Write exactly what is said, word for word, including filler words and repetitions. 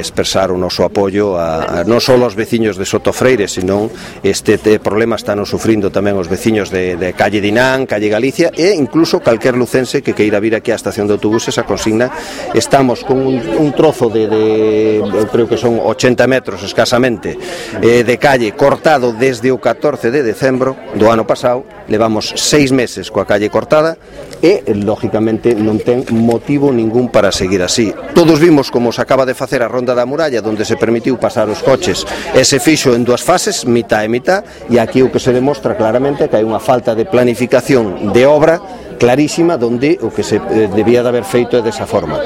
expresar o noso apoio a, a non só aos veciños de Sotofreire, senón este te, problema están sufrindo tamén os veciños de, de Calle Dinán, Calle Galicia e incluso calquer lucense que queira vir aquí á estación de autobuses a consigna. Estamos con un, un trozo de, de eu creo que son ochenta metros escasamente eh, de calle cortado desde o catorce de decembro do ano pasado. Levamos seis meses coa calle cortada e, lógicamente, non ten motivo ningún para seguir así. Todos vimos como se acaba de facer a ronda da muralla, onde se permitiu pasar os coches e se fixo en dúas fases, mitad e mitad, e aquí o que se demostra claramente que hai unha falta de planificación de obra clarísima, donde o que se debía de haber feito é desa forma.